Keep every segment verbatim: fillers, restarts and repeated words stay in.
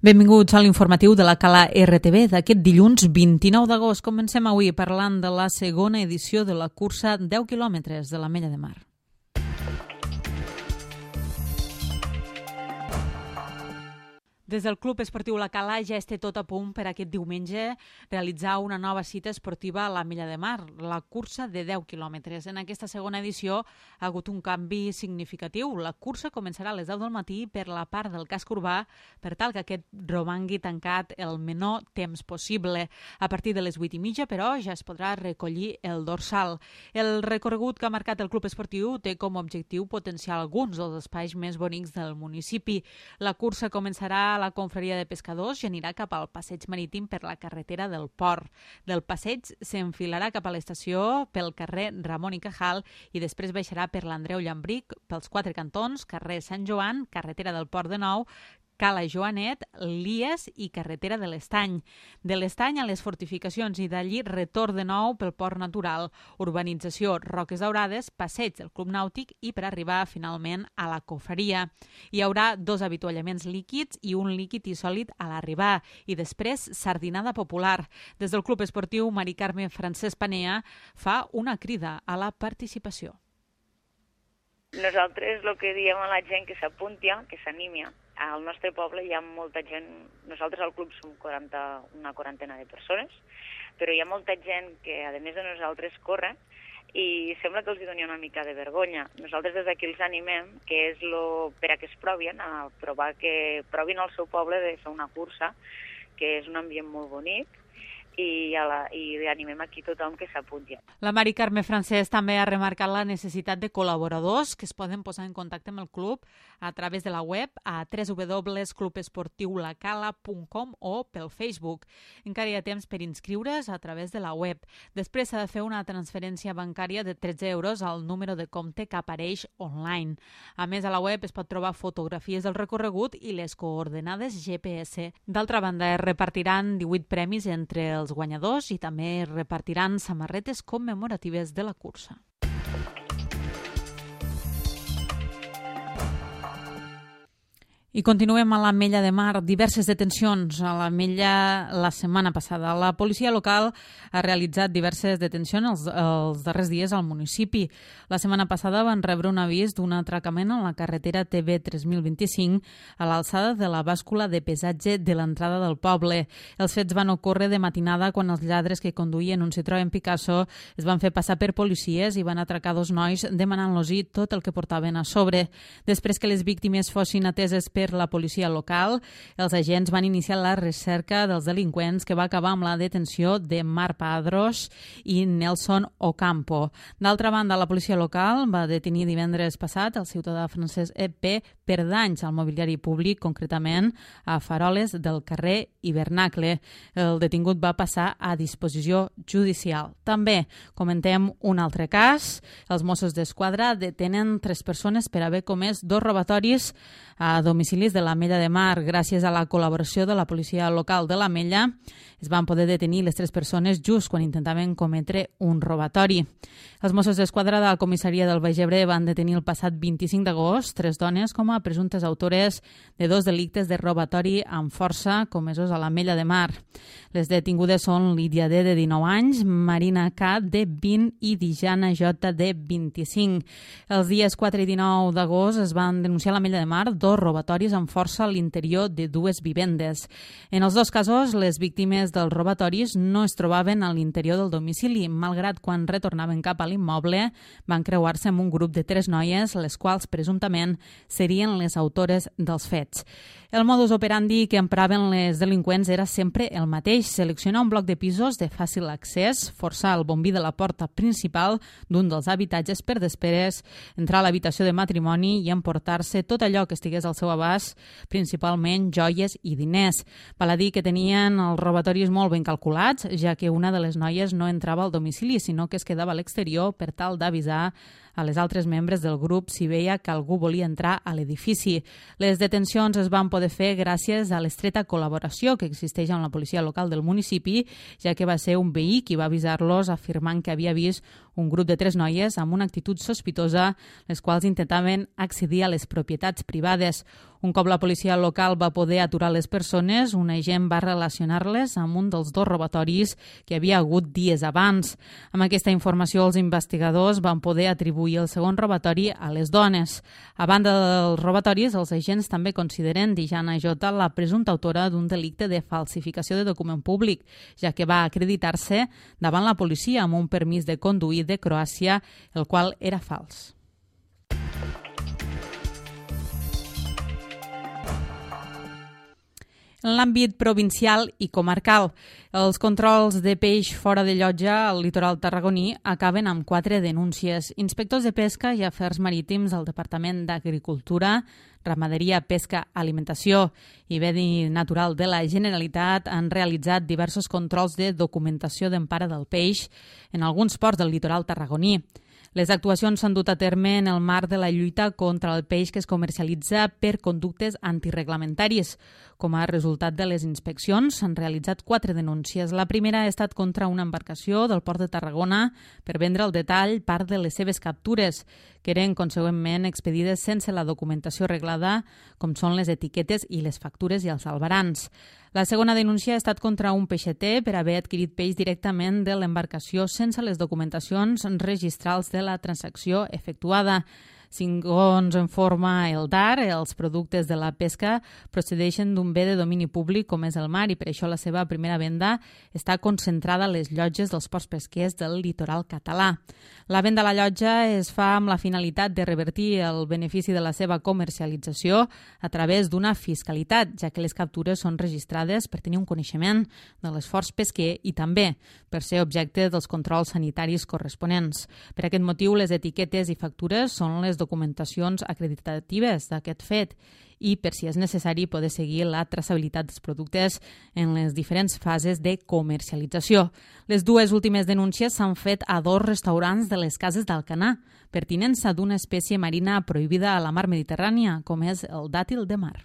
Benvinguts a l'informatiu de la Cala R T V d'aquest dilluns vint-i-nou d'agost. Comencem avui parlant de la segona edició de la cursa deu quilòmetres de l'Ametlla de Mar. Des del Club Esportiu La Cala ja es té tot a punt per aquest diumenge realitzar una nova cita esportiva a l'Ametlla de Mar, la cursa de deu quilòmetres. En aquesta segona edició ha hagut un canvi significatiu. La cursa començarà a les deu del matí per la part del casc urbà per tal que aquest romangui tancat el menor temps possible. A partir de les vuit i mitja, però, ja es podrà recollir el dorsal. El recorregut que ha marcat el Club Esportiu té com a objectiu potenciar alguns dels espais més bonics del municipi. La cursa començarà a la confraria de pescadors i anirà cap al passeig marítim per la carretera del Port. Del passeig s'enfilarà cap a l'estació pel carrer Ramon i Cajal i després baixarà per l'Andreu Llambric, pels quatre cantons, carrer Sant Joan, carretera del Port de Nou, Cala Joanet, Lies i carretera de l'Estany. De l'Estany a les fortificacions i d'allí retorn de nou pel port natural, urbanització Roques Daurades, passeig del Club Nàutic i per arribar finalment a la confraria. Hi haurà dos avituallaments líquids i un líquid i sòlid a l'arribar i després sardinada popular. Des del Club Esportiu Mari Carme Francesc Panea fa una crida a la participació. Nosaltres el que diem a la gent que s'apunti, que s'animi. Al nostre poble hi ha molta gent, nosaltres al club som quaranta, una quarantena de persones, però hi ha molta gent que, a més de nosaltres, corren i sembla que els hi doni una mica de vergonya. Nosaltres des d'aquí els animem, que és lo, per a que es provin, a provar que provin al seu poble de fer una cursa, que és un ambient molt bonic, i, a la, i animem aquí tothom que s'apunti. La Mari Carme Francesc també ha remarcat la necessitat de col·laboradors que es poden posar en contacte amb el club a través de la web a w w w punt club esportiu la cala punt com o pel Facebook. Encara hi ha temps per inscriure's a través de la web. Després s'ha de fer una transferència bancària de tretze euros al número de compte que apareix online. A més, a la web es pot trobar fotografies del recorregut i les coordenades G P S. D'altra banda, es repartiran divuit premis entre els els guanyadors i també repartiran samarretes commemoratives de la cursa. I continuem a l'Ametlla de Mar. Diverses detencions a l'Ametlla la setmana passada. La policia local ha realitzat diverses detencions els, els darrers dies al municipi. La setmana passada van rebre un avís d'un atracament a la carretera T B tres mil vint-i-cinc a l'alçada de la bàscula de pesatge de l'entrada del poble. Els fets van ocórrer de matinada quan els lladres que conduïen un Citroën Picasso es van fer passar per policies i van atracar dos nois demanant-los-hi tot el que portaven a sobre. Després que les víctimes fossin ateses per la policia local, els agents van iniciar la recerca dels delinqüents que va acabar amb la detenció de Marc Padros i Nelson Ocampo. D'altra banda, la policia local va detenir divendres passat el ciutadà Francesc E P per danys al mobiliari públic, concretament a faroles del carrer Hivernacle. El detingut va passar a disposició judicial. També comentem un altre cas. Els Mossos d'Esquadra detenen tres persones per haver comès dos robatoris a domicilis de l'Ametlla de Mar. Gràcies a la col·laboració de la policia local de l'Ametlla es van poder detenir les tres persones just quan intentaven cometre un robatori. Els Mossos d'Esquadra de la comissaria del Baix Ebre van detenir el passat vint-i-cinc d'agost tres dones com a presumptes autores de dos delictes de robatori amb força comesos a l'Ametlla de Mar. Les detingudes són Lídia D, de dinou anys, Marina K, de vint i Dijana J, de vint-i-cinc. Els dies quatre i dinou d'agost es van denunciar a l'Ametlla de Mar dos robatoris amb força a l'interior de dues vivendes. En els dos casos, les víctimes dels robatoris no es trobaven a l'interior del domicili, malgrat quan retornaven cap a l'immoble van creuar-se amb un grup de tres noies, les quals presumptament serien les autores dels fets. El modus operandi que empraven les delinqüents era sempre el mateix: seleccionar un bloc de pisos de fàcil accés, forçar el bombí de la porta principal d'un dels habitatges per després entrar a l'habitació de matrimoni i emportar-se tot allò que estigués al seu abast, principalment joies i diners. Val a dir que tenien els robatoris molt ben calculats, ja que una de les noies no entrava al domicili, sinó que es quedava a l'exterior per tal d'avisar a les altres membres del grup si veia que algú volia entrar a l'edifici. Les detencions es van poder fer gràcies a l'estreta col·laboració que existeix amb la policia local del municipi, ja que va ser un veí qui va avisar-los afirmant que havia vist un grup de tres noies amb una actitud sospitosa, les quals intentaven accedir a les propietats privades. Un cop la policia local va poder aturar les persones, un agent va relacionar-les amb un dels dos robatoris que havia hagut dies abans. Amb aquesta informació, els investigadors van poder atribuir el segon robatori a les dones. A banda dels robatoris, els agents també consideren Dijana Jota la presumpta autora d'un delicte de falsificació de document públic, ja que va acreditar-se davant la policia amb un permís de conduir de Croàcia, el qual era fals. En l'àmbit provincial i comarcal, els controls de peix fora de llotja al litoral tarragoní acaben amb quatre denúncies. Inspectors de pesca i afers marítims al Departament d'Agricultura, Ramaderia, Pesca, Alimentació i Medi Natural de la Generalitat han realitzat diversos controls de documentació d'empara del peix en alguns ports del litoral tarragoní. Les actuacions s'han dut a terme en el marc de la lluita contra el peix que es comercialitza per conductes antireglamentaris. Com a resultat de les inspeccions, s'han realitzat quatre denúncies. La primera ha estat contra una embarcació del port de Tarragona per vendre al detall part de les seves captures, que eren consegüentment expedides sense la documentació reglada, com són les etiquetes i les factures i els albarans. La segona denúncia ha estat contra un peixater per haver adquirit peix directament de l'embarcació sense les documentacions registrals de la transacció efectuada. Segons informa el D A R, els productes de la pesca procedeixen d'un bé de domini públic com és el mar i per això la seva primera venda està concentrada a les llotges dels ports pesquers del litoral català. La venda a la llotja es fa amb la finalitat de revertir el benefici de la seva comercialització a través d'una fiscalitat, ja que les captures són registrades per tenir un coneixement de l'esforç pesquer i també per ser objecte dels controls sanitaris corresponents. Per aquest motiu, les etiquetes i factures són les documentacions acreditatives d'aquest fet i, per si és necessari, poder seguir la traçabilitat dels productes en les diferents fases de comercialització. Les dues últimes denúncies s'han fet a dos restaurants de les Cases d'Alcanar per tinença d'una espècie marina prohibida a la mar Mediterrània, com és el dàtil de mar.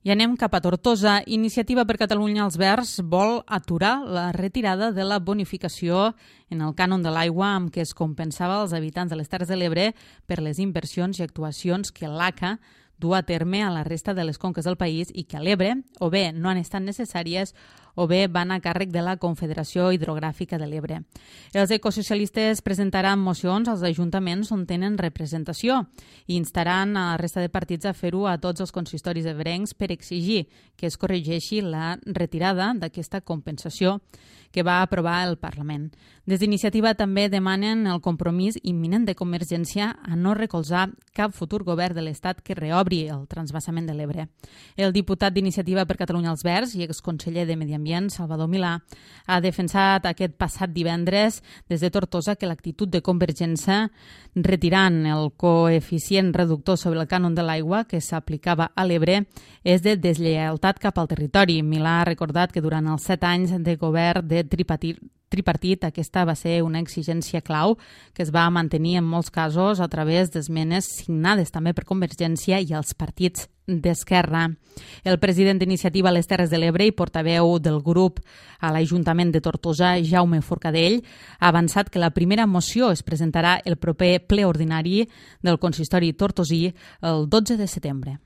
I anem cap a Tortosa. Iniciativa per Catalunya als Verds vol aturar la retirada de la bonificació en el cànon de l'aigua amb què es compensava als habitants de les Terres de l'Ebre per les inversions i actuacions que l'A C A du a terme a la resta de les conques del país i que a l'Ebre o bé no han estat necessàries o bé van a càrrec de la Confederació Hidrogràfica de l'Ebre. Els ecosocialistes presentaran mocions als ajuntaments on tenen representació i instaran a la resta de partits a fer-ho a tots els consistoris ebrencs per exigir que es corregeixi la retirada d'aquesta compensació que va aprovar el Parlament. Des d'Iniciativa també demanen el compromís imminent de Convergència a no recolzar cap futur govern de l'Estat que reobri el transvasament de l'Ebre. El diputat d'Iniciativa per Catalunya als Verds i exconseller de Medi Ambient, Salvador Milà, ha defensat aquest passat divendres des de Tortosa que l'actitud de Convergència retirant el coeficient reductor sobre el cànon de l'aigua que s'aplicava a l'Ebre és de deslleialtat cap al territori. Milà ha recordat que durant els set anys de govern de tripartit, tripartit aquesta va ser una exigència clau que es va mantenir en molts casos a través d'esmenes signades també per Convergència i els partits d'Esquerra. El president d'Iniciativa a les Terres de l'Ebre i portaveu del grup a l'Ajuntament de Tortosa, Jaume Forcadell, ha avançat que la primera moció es presentarà el proper ple ordinari del consistori tortosí el dotze de setembre.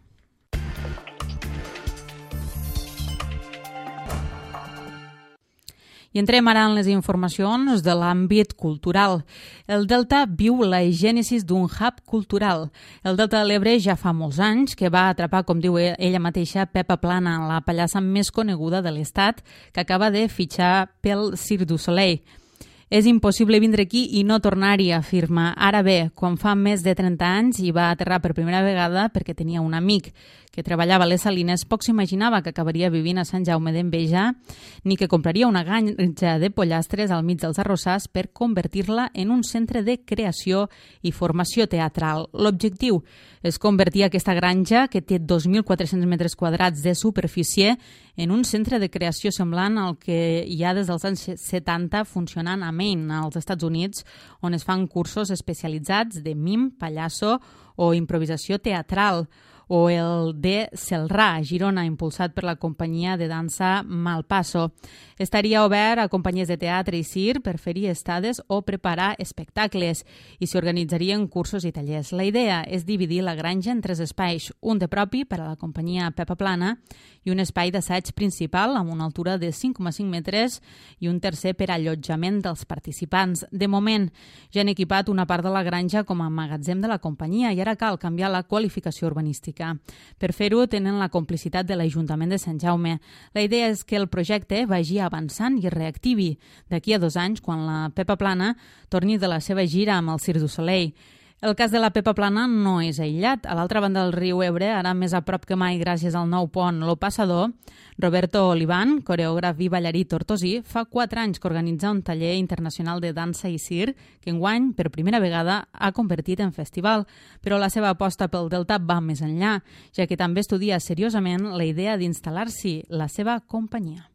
I entrem ara en les informacions de l'àmbit cultural. El Delta viu la gènesis d'un hub cultural. El Delta de l'Ebre ja fa molts anys que va atrapar, com diu ella mateixa, Pepa Plana, la pallassa més coneguda de l'Estat, que acaba de fitxar pel Cirque du Soleil. És impossible vindre aquí i no tornar-hi, afirma. Ara bé, quan fa més de trenta anys hi va aterrar per primera vegada perquè tenia un amic que treballava a les Salines, poc s'imaginava que acabaria vivint a Sant Jaume d'Enveja ni que compraria una granja de pollastres al mig dels arrossars per convertir-la en un centre de creació i formació teatral. L'objectiu és convertir aquesta granja, que té dos mil quatre-cents metres quadrats de superfície, en un centre de creació semblant al que hi ha des dels anys setanta funcionant a Maine, als Estats Units, on es fan cursos especialitzats de mim, pallasso o improvisació teatral. o el de Celrà, a Girona, impulsat per la companyia de dansa Malpasso. Estaria obert a companyies de teatre i circ per fer-hi estades o preparar espectacles i s'hi organitzarien cursos i tallers. La idea és dividir la granja en tres espais, un de propi per a la companyia Pepa Plana i un espai d'assaig principal amb una altura de cinc coma cinc metres i un tercer per allotjament dels participants. De moment, ja han equipat una part de la granja com a magatzem de la companyia i ara cal canviar la qualificació urbanística. Per fer-ho, tenen la complicitat de l'Ajuntament de Sant Jaume. La idea és que el projecte vagi avançant i es reactivi d'aquí a dos anys, quan la Pepa Plana torni de la seva gira amb el Cirque du Soleil. El cas de la Pepa Plana no és aïllat. A l'altra banda del riu Ebre, ara més a prop que mai gràcies al nou pont Lo Passador, Roberto Olivan, coreògraf i ballarí tortosí, fa quatre anys que organitza un taller internacional de dansa i circ que enguany, per primera vegada, ha convertit en festival. Però la seva aposta pel Delta va més enllà, ja que també estudia seriosament la idea d'instal·lar-s'hi la seva companyia.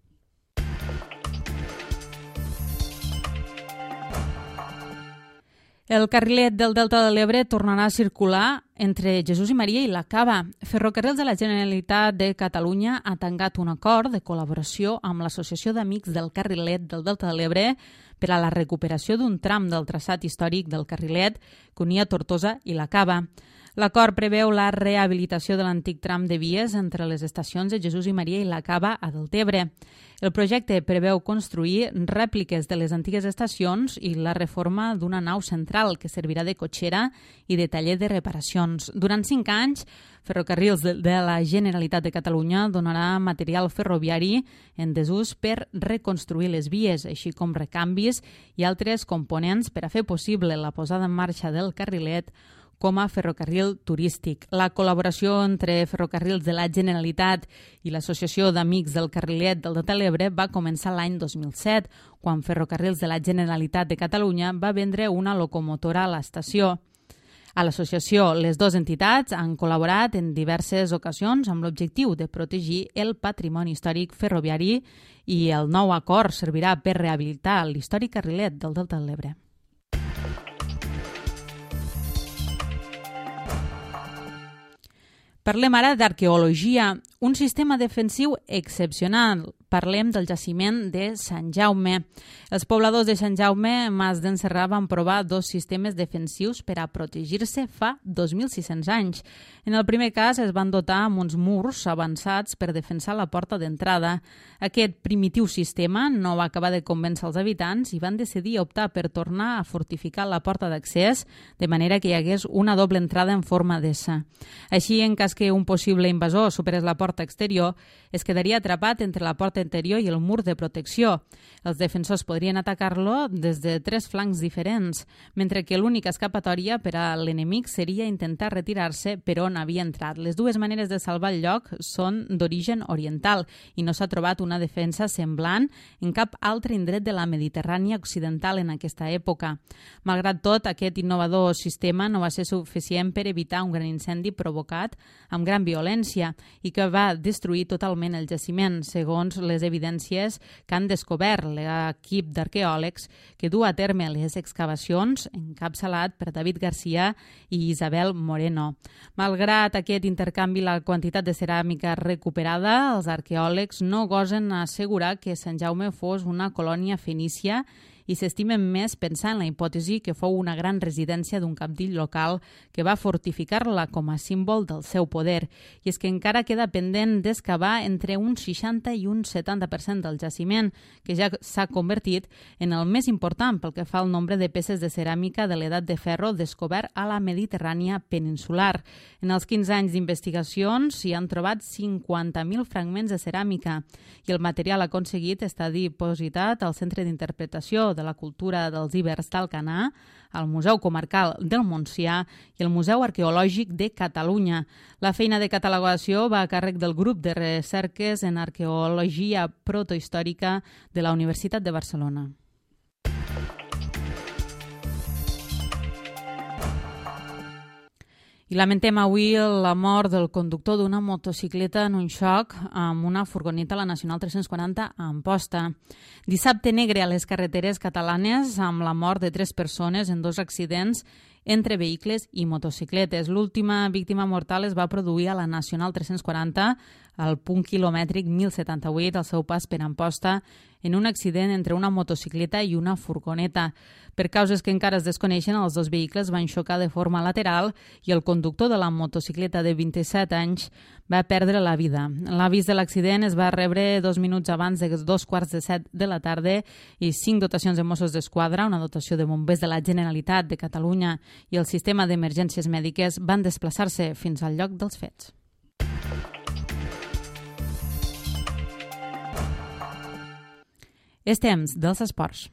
El carrilet del Delta de l'Ebre tornarà a circular entre Jesús i Maria i la Cava. Ferrocarrils de la Generalitat de Catalunya ha tancat un acord de col·laboració amb l'Associació d'Amics del Carrilet del Delta de l'Ebre per a la recuperació d'un tram del traçat històric del carrilet que unia Tortosa i la Cava. L'acord preveu la rehabilitació de l'antic tram de vies entre les estacions de Jesús i Maria i la Cava a Deltebre. El projecte preveu construir rèpliques de les antigues estacions i la reforma d'una nau central que servirà de cotxera i de taller de reparacions. Durant cinc anys, Ferrocarrils de la Generalitat de Catalunya donarà material ferroviari en desús per reconstruir les vies, així com recanvis i altres components per a fer possible la posada en marxa del carrilet com a ferrocarril turístic. La col·laboració entre Ferrocarrils de la Generalitat i l'Associació d'Amics del Carrilet del Delta de l'Ebre va començar l'any dos mil set, quan Ferrocarrils de la Generalitat de Catalunya va vendre una locomotora a l'estació. A l'associació, les dues entitats han col·laborat en diverses ocasions amb l'objectiu de protegir el patrimoni històric ferroviari i el nou acord servirà per rehabilitar l'històric carrilet del Delta de l'Ebre. Parlem ara d'arqueologia, un sistema defensiu excepcional. Parlem del jaciment de Sant Jaume. Els pobladors de Sant Jaume, Mas d'en Serrà, van provar dos sistemes defensius per a protegir-se fa dos mil sis-cents anys. En el primer cas es van dotar amb uns murs avançats per defensar la porta d'entrada. Aquest primitiu sistema no va acabar de convèncer els habitants i van decidir optar per tornar a fortificar la porta d'accés de manera que hi hagués una doble entrada en forma d'essa. Així, en cas que un possible invasor superés la porta exterior, es quedaria atrapat entre la porta interior i el mur de protecció. Els defensors podrien atacar-lo des de tres flancs diferents, mentre que l'única escapatòria per a l'enemic seria intentar retirar-se per on havia entrat. Les dues maneres de salvar el lloc són d'origen oriental i no s'ha trobat una defensa semblant en cap altre indret de la Mediterrània occidental en aquesta època. Malgrat tot, aquest innovador sistema no va ser suficient per evitar un gran incendi provocat amb gran violència i que va destruir totalment el jaciment, segons les evidències que han descobert l'equip d'arqueòlegs que du a terme les excavacions, encapçalat per David Garcia i Isabel Moreno. Malgrat aquest intercanvi i la quantitat de ceràmica recuperada, els arqueòlegs no gosen assegurar que Sant Jaume fos una colònia fenícia i s'estimen més pensar en la hipòtesi que fou una gran residència d'un cabdill local que va fortificar-la com a símbol del seu poder. I és que encara queda pendent d'excavar entre un seixanta i un setanta per cent del jaciment, que ja s'ha convertit en el més important pel que fa al nombre de peces de ceràmica de l'edat de ferro descobert a la Mediterrània peninsular. En els quinze anys d'investigacions s'hi han trobat cinquanta mil fragments de ceràmica i el material aconseguit està dipositat al Centre d'Interpretació de la Cultura dels Ibers d'Alcanar, al Museu Comarcal del Montsià i el Museu Arqueològic de Catalunya. La feina de catalogació va a càrrec del grup de recerques en arqueologia protohistòrica de la Universitat de Barcelona. I lamentem avui la mort del conductor d'una motocicleta en un xoc amb una furgoneta a la Nacional tres-cents quaranta a Amposta. Dissabte negre a les carreteres catalanes amb la mort de tres persones en dos accidents entre vehicles i motocicletes. L'última víctima mortal es va produir a la Nacional tres-cents quaranta, al punt quilomètric mil setanta-vuit, al seu pas per Amposta, en un accident entre una motocicleta i una furgoneta. Per causes que encara es desconeixen, els dos vehicles van xocar de forma lateral i el conductor de la motocicleta de vint-i-set anys va perdre la vida. L'avís de l'accident es va rebre dos minuts abans de dos quarts de set de la tarda i cinc dotacions de Mossos d'Esquadra, una dotació de bombers de la Generalitat de Catalunya i el sistema d'emergències mèdiques van desplaçar-se fins al lloc dels fets. És temps dels esports.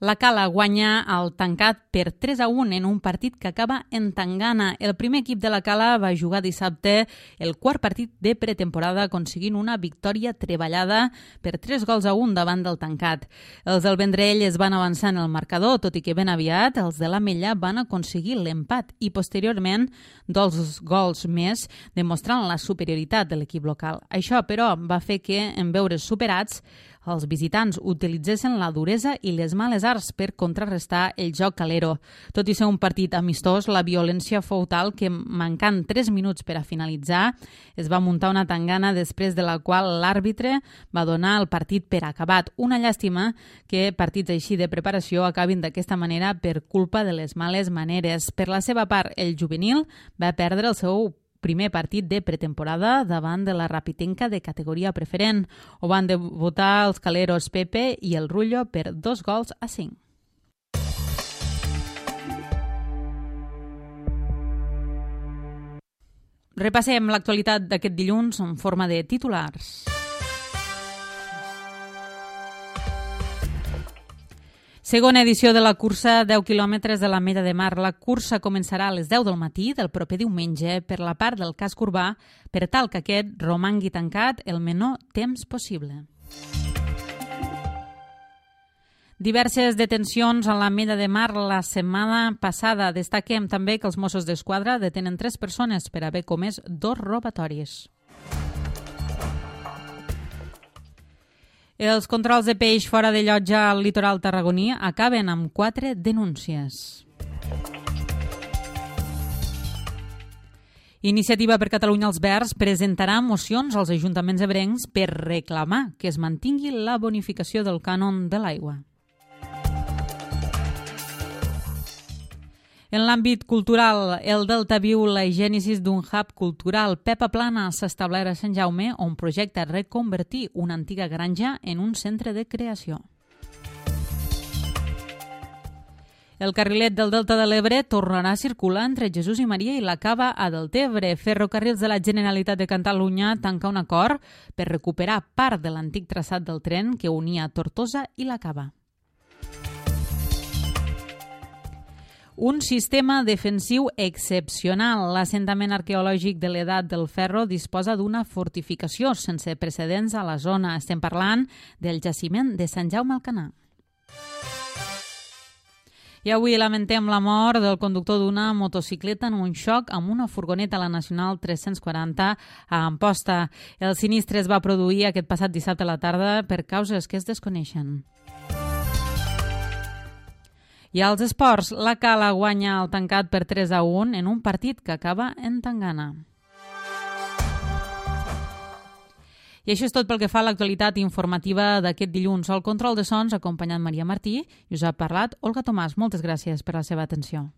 La Cala guanya el Tancat per tres a un en un partit que acaba en tangana. El primer equip de la Cala va jugar dissabte el quart partit de pretemporada aconseguint una victòria treballada per tres gols a un davant del Tancat. Els del Vendrell es van avançar en el marcador, tot i que ben aviat els de l'Ametlla van aconseguir l'empat i posteriorment dos gols més demostrant la superioritat de l'equip local. Això, però, va fer que, en veure's superats, els visitants utilitzessin la duresa i les males arts per contrarrestar el joc calero. Tot i ser un partit amistós, la violència fou tal que, mancant tres minuts per a finalitzar, es va muntar una tangana després de la qual l'àrbitre va donar el partit per acabat. Una llàstima que partits així de preparació acabin d'aquesta manera per culpa de les males maneres. Per la seva part, el juvenil va perdre el seu primer partit de pretemporada davant de la Rapitenca de categoria preferent. Ho van debutar els caleros Pepe i el Rullo per dos gols a cinc. Repassem l'actualitat d'aquest dilluns en forma de titulars. Segona edició de la cursa deu quilòmetres de l'Ametlla de Mar. La cursa començarà a les deu del matí del proper diumenge per la part del casc urbà per tal que aquest romangui tancat el menor temps possible. Diverses detencions a l'Ametlla de Mar la setmana passada. Destaquem també que els Mossos d'Esquadra detenen tres persones per haver comès dos robatoris. Els controls de peix fora de llotja al litoral tarragoní acaben amb quatre denúncies. Iniciativa per Catalunya als Verds presentarà mocions als ajuntaments ebrencs per reclamar que es mantingui la bonificació del cànon de l'aigua. En l'àmbit cultural, el Delta viu la gènesis d'un hub cultural. Pepa Plana s'ha establert a Sant Jaume, on projecta reconvertir una antiga granja en un centre de creació. El carrilet del Delta de l'Ebre tornarà a circular entre Jesús i Maria i la Cava a Deltebre. Ferrocarrils de la Generalitat de Catalunya tanca un acord per recuperar part de l'antic traçat del tren que unia Tortosa i la Cava. Un sistema defensiu excepcional. L'assentament arqueològic de l'Edat del Ferro disposa d'una fortificació sense precedents a la zona. Estem parlant del jaciment de Sant Jaume Alcanar. I avui lamentem la mort del conductor d'una motocicleta en un xoc amb una furgoneta a la Nacional tres-cents quaranta a Amposta. El sinistre es va produir aquest passat dissabte a la tarda per causes que es desconeixen. I als esports, la Cala guanya el Tancat per tres a un en un partit que acaba en tangana. I això és tot pel que fa a l'actualitat informativa d'aquest dilluns. Al control de sons, acompanyant Maria Martí, i us ha parlat Olga Tomàs. Moltes gràcies per la seva atenció.